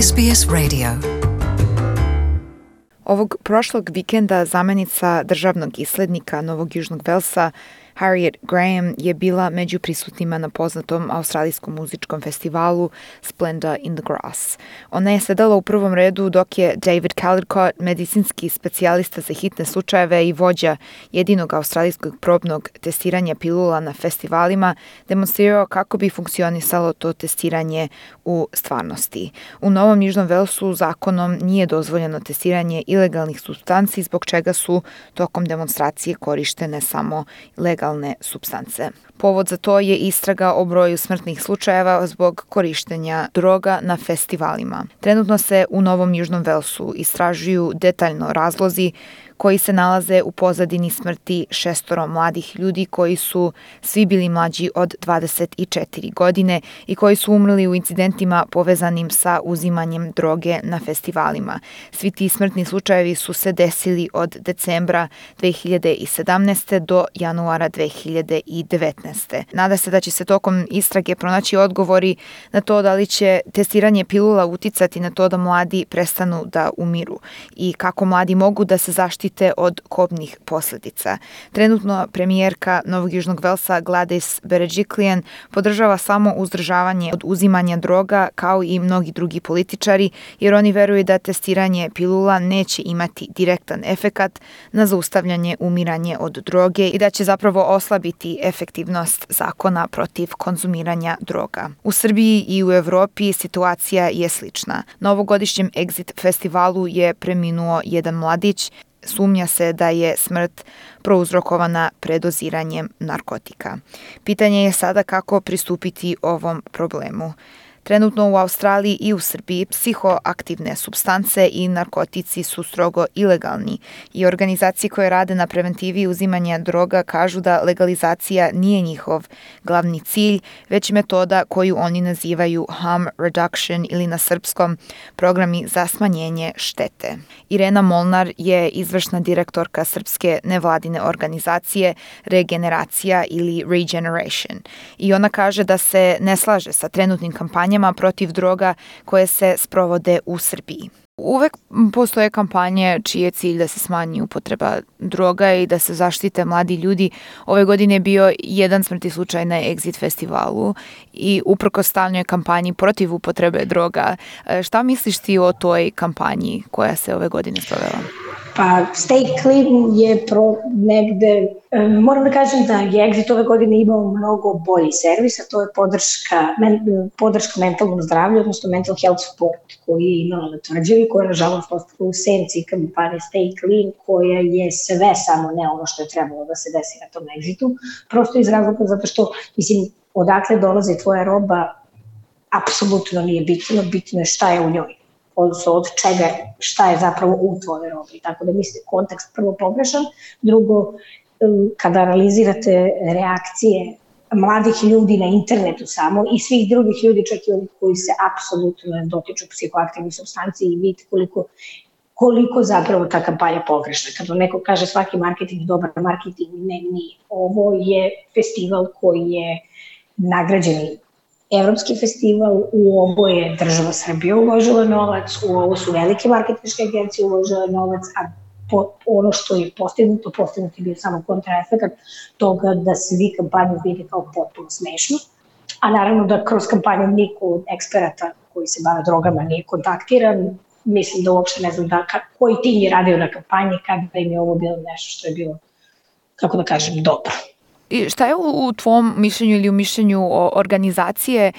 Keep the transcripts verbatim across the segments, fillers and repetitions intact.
S B S Radio. Ovog prošlog vikenda zamenica državnog islednika Novog Južnog Velsa Harriet Graham je bila među prisutnima na poznatom australijskom muzičkom festivalu Splendor in the Grass. Ona je sedala u prvom redu dok je David Caldicott, medicinski specijalista za hitne slučajeve i vođa jedinog australijskog probnog testiranja pilula na festivalima, demonstrirao kako bi funkcionisalo to testiranje u stvarnosti. U Novom Južnom Velsu zakonom nije dozvoljeno testiranje ilegalnih supstanci, zbog čega su tokom demonstracije korištene samo legalne supstance. Povod za to je istraga o broju smrtnih slučajeva zbog korištenja droga na festivalima. Trenutno se u Novom Južnom Velsu istražuju detaljno razlozi koji se nalaze u pozadini smrti šestoro mladih ljudi koji su svi bili mlađi od dvadeset četiri godine i koji su umrli u incidentima povezanim sa uzimanjem droge na festivalima. Svi ti smrtni slučajevi su se desili od decembra dve hiljade sedamnaeste. do januara dve hiljade devetnaeste. Nada se da će se tokom istrage pronaći odgovori na to da li će testiranje pilula uticati na to da mladi prestanu da umiru i kako mladi mogu da se zaštite od kobnih posljedica. Trenutno premijerka Novog Južnog Velsa Gladys Berejiklian podržava samo uzdržavanje od uzimanja droga kao i mnogi drugi političari, jer oni veruju da testiranje pilula neće imati direktan efekat na zaustavljanje umiranje od droge i da će zapravo oslabiti efektivnost zakona protiv konzumiranja droga. U Srbiji i u Evropi situacija je slična. Na ovogodišnjem Exit festivalu je preminuo jedan mladić. Sumnja se da je smrt prouzrokovana predoziranjem narkotika. Pitanje je sada kako pristupiti ovom problemu. Trenutno u Australiji i u Srbiji psihoaktivne supstance i narkotici su strogo ilegalni i organizacije koje rade na preventivi uzimanja droga kažu da legalizacija nije njihov glavni cilj, već metoda koju oni nazivaju harm reduction ili na srpskom programi za smanjenje štete. Irena Molnar je izvršna direktorka srpske nevladine organizacije Regeneracija ili Regeneration i ona kaže da se ne slaže sa trenutnim kampanjama protiv droga koje se sprovode u Srbiji. Uvek postoje kampanje čiji je cilj da se smanji upotreba droga i da se zaštite mladi ljudi. Ove godine je bio jedan smrtni slučaj na Exit festivalu i uprkos stalnoj kampanji protiv upotrebe droga. Šta misliš ti o toj kampanji koja se ove godine sprovela? Pa Stay Clean je pro negde, moram da kažem da je Exit ove godine imao mnogo bolji servis, a to je podrška, men, podrška mentalnom zdravlju, odnosno mental health support koji je imala na tvrđavi, koja je nažalost ostala u senci kampanje Stay Clean, koja je sve samo ne ono što je trebalo da se desi na tom Exitu, prosto iz razloga zato što, mislim, odakle dolazi tvoja roba, apsolutno nije bitno, bitno je šta je u njoj. Odnosno od čega, šta je zapravo u tvojoj robi. Tako da mislim, kontekst prvo pogrešan. Drugo, kada analizirate reakcije mladih ljudi na internetu samo i svih drugih ljudi, čak i onih koji se apsolutno ne dotiču psihoaktivnih supstanci i vidite koliko, koliko zapravo ta kampanja pogrešna. Kada neko kaže svaki marketing je dobar marketing, ne, nije. Ovo je festival koji je nagrađen Evropski festival, u ovo je država Srbija uložila novac, u ovo su velike marketinške agencije uložile novac, a po, ono što je postignuto, postignuto je bio samo kontraefekat toga da svi kampanju vide kao potpuno smešno, a naravno da kroz kampanju niko od eksperata koji se bave drogama nije kontaktiran, mislim da uopšte ne znam da, koji tim je radio na kampanji, kada im je ovo bilo nešto što je bilo, kako da kažem, dobro. I šta je u tvom mišljenju ili u mišljenju organizacije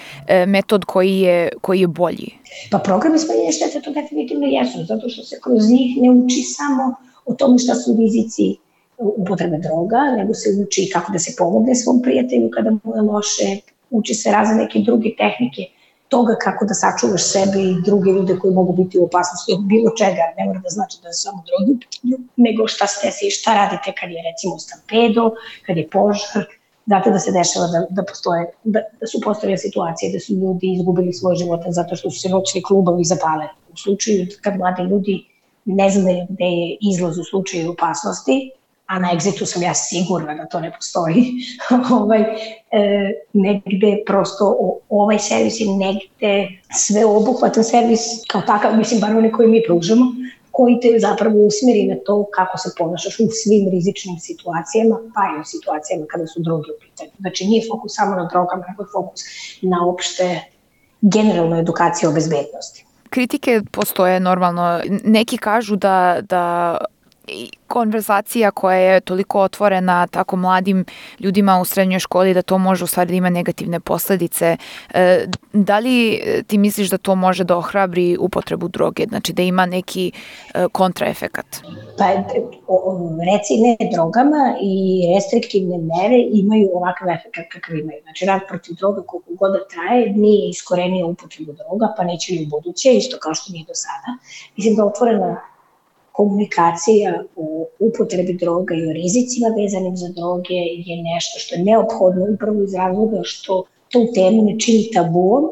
metod koji je, koji je bolji? Pa programi smanjenja štete to definitivno jesu, zato što se kroz njih ne uči samo o tome šta su rizici upotrebe droga, nego se uči kako da se pomogne svom prijatelju kada mu je loše, uči se razne neke druge tehnike toga kako da sačuvaš sebe i druge ljude koji mogu biti u opasnosti od bilo čega, ne mora da znači da je samo drogi u pitanju, nego šta se desi, šta radite kad je recimo stampedo, kad je požar, znate da se dešava da, da, postoje, da, da su postojale situacije da su ljudi izgubili svoj život zato što su se noćni klubovi zapale. U slučaju kad mladi ljudi ne znaju gde je izlaz u slučaju opasnosti, a na Exitu sam ja sigurna da to ne postoji, ovaj, e, negde prosto o, ovaj servis je negde sveobuhvatan servis kao takav, mislim, bar oni koji mi pružamo, koji te zapravo usmeri na to kako se ponašaš u svim rizičnim situacijama, pa i u situacijama kada su droge u pitanju. Znači nije fokus samo na drogama, nego je fokus na opšte generalnu edukaciju o bezbednosti. Kritike postoje normalno. Neki kažu da, da konverzacija koja je toliko otvorena tako mladim ljudima u srednjoj školi da to može u stvari da ima negativne posledice. E, da li ti misliš da to može da ohrabri upotrebu droge, znači da ima neki e, kontraefekat? Pa reci ne drogama i restriktivne mere imaju ovakav efekat kakav imaju. Znači rat protiv droga koliko god da traje nije iskorenio upotrebu droga, pa neće ni u buduće, isto kao što nije do sada. Mislim da otvorena komunikacija o upotrebi droga i o rizicima vezanim za droge je nešto što je neophodno upravo iz razloga što tu temu ne čini tabuom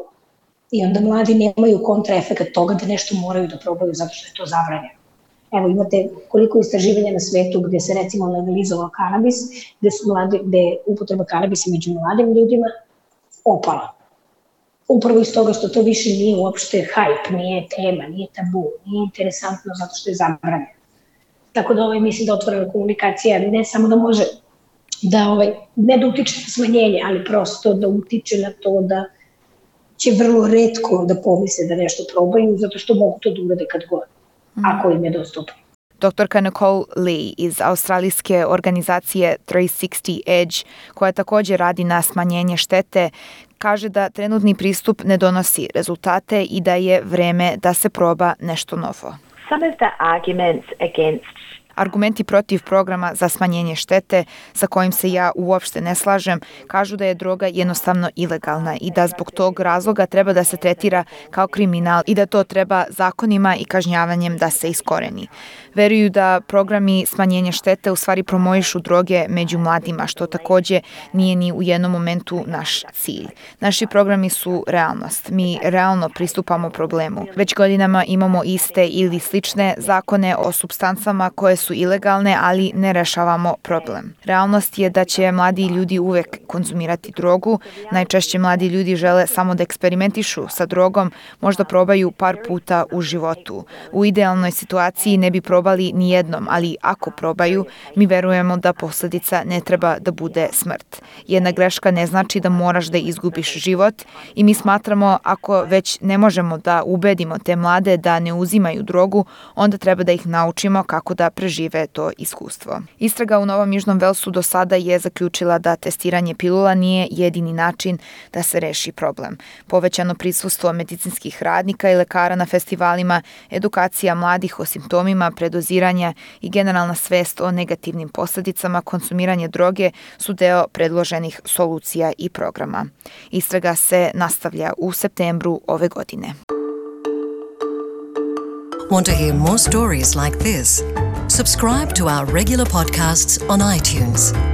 i onda mladi nemaju kontraefekat toga da nešto moraju da probaju zato što je to zabranjeno. Evo imate koliko istraživanja na svetu gde se recimo legalizovao kanabis, gde su mladi, gde je upotreba kanabisa među mladim ljudima opala. Upravo iz toga što to više nije uopšte hype, nije tema, nije tabu, nije interesantno zato što je zabranjeno. Tako da ovaj, mislim da otvorena komunikacija ne samo da može da, ovaj, ne da utiče na smanjenje, ali prosto da utiče na to da će vrlo retko da pomisle da nešto probaju, zato što mogu to da urade kad god, ako im je dostupno. Doktorka Nicole Lee iz australijske organizacije tristo šezdeset Edge, koja također radi na smanjenje štete, kaže da trenutni pristup ne donosi rezultate i da je vreme da se proba nešto novo. Some of the arguments against Argumenti protiv programa za smanjenje štete, sa kojim se ja uopšte ne slažem, kažu da je droga jednostavno ilegalna i da zbog tog razloga treba da se tretira kao kriminal i da to treba zakonima i kažnjavanjem da se iskoreni. Veruju da programi smanjenja štete u stvari promovišu droge među mladima, što takođe nije ni u jednom momentu naš cilj. Naši programi su realnost. Mi realno pristupamo problemu. Već godinama imamo iste ili slične zakone o supstancama koje su ilegalne, ali ne rešavamo problem. Realnost je da će mladi ljudi uvek konzumirati drogu. Najčešće mladi ljudi žele samo da eksperimentišu sa drogom, možda probaju par puta u životu. U idealnoj situaciji ne bi probali ni jednom, ali ako probaju, mi verujemo da posledica ne treba da bude smrt. Jedna greška ne znači da moraš da izgubiš život i mi smatramo ako već ne možemo da ubedimo te mlade da ne uzimaju drogu, onda treba da ih naučimo kako da prežive to iskustvo. Istraga u Novom Južnom Velsu do sada je zaključila da testiranje pilula nije jedini način da se reši problem. Povećano prisustvo medicinskih radnika i lekara na festivalima, edukacija mladih o simptomima predoziranja i generalna svest o negativnim posledicama konsumiranja droge su deo predloženih solucija i programa. Istraga se nastavlja u septembru ove godine. Want to hear more stories like this? Subscribe to our regular podcasts on iTunes.